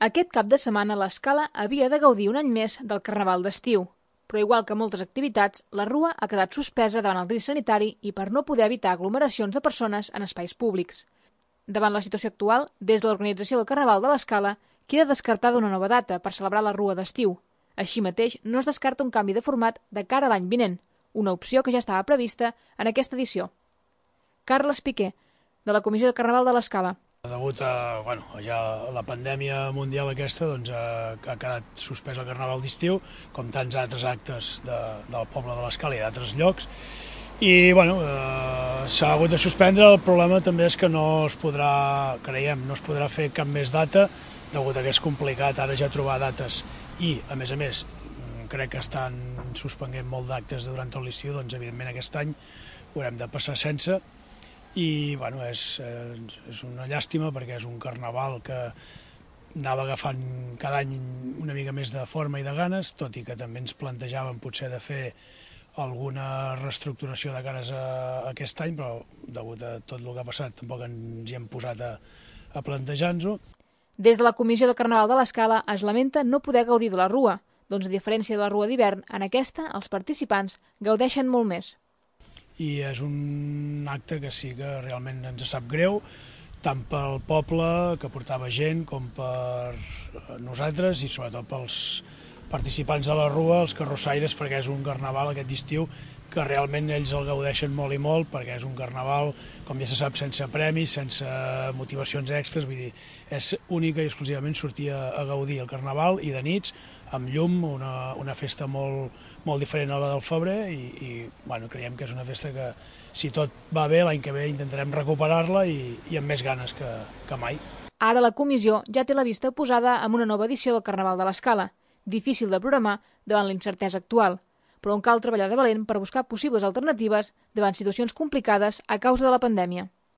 Aquest cap de setmana l'Escala havia de gaudir un any més del Carnaval d'estiu, però igual que moltes activitats, la Rua ha quedat suspesa davant el risc sanitari i per no poder evitar aglomeracions de persones en espais públics. Davant la situació actual, des de l'organització del Carnaval de l'Escala, queda descartada una nova data per celebrar la Rua d'estiu. Així mateix, no es descarta un canvi de format de cara a l'any vinent, una opció que ja estava prevista en aquesta edició. Carles Piqué, de la Comissió de Carnaval de l'Escala. Degut a ja la pandèmia mundial aquesta, ha quedat suspès el Carnaval d'estiu, com tants altres actes del poble de l'Escala i d'altres llocs. I s'ha hagut de suspendre. El problema també és que no es podrà fer cap més data, degut a que és complicat ara ja trobar dates i, a més, crec que estan suspenent molt d'actes durant tot l'estiu, doncs evidentment aquest any ho haurem de passar sense. I és una llàstima perquè és un carnaval que anava agafant cada any una mica més de forma i de ganes, tot i que també ens plantejàvem potser de fer alguna reestructuració de cares a aquest any, però degut a tot el que ha passat tampoc ens hi hem posat a plantejar-nos-ho. Des de la Comissió de Carnaval de l'Escala es lamenta no poder gaudir de la Rua, doncs a diferència de la Rua d'hivern, en aquesta els participants gaudeixen molt més. I és un acte que sí que realment ens sap greu, tant pel poble, que portava gent, com per nosaltres i sobretot pels participants de la Rua, els carrossaires, perquè és un carnaval aquest estiu que realment ells el gaudeixen molt i molt, perquè és un carnaval, com ja se sap, sense premis, sense motivacions extres, vull dir, és única i exclusivament sortir a gaudir el carnaval i de nits, amb llum, una festa molt diferent a la del febrer i creiem que és una festa que, si tot va bé, l'any que ve intentarem recuperar-la i amb més ganes que mai. Ara la comissió ja té la vista posada amb una nova edició del Carnaval de l'Escala, difícil de programar davant la incertesa actual, però on cal treballar de valent per buscar possibles alternatives davant situacions complicades a causa de la pandèmia.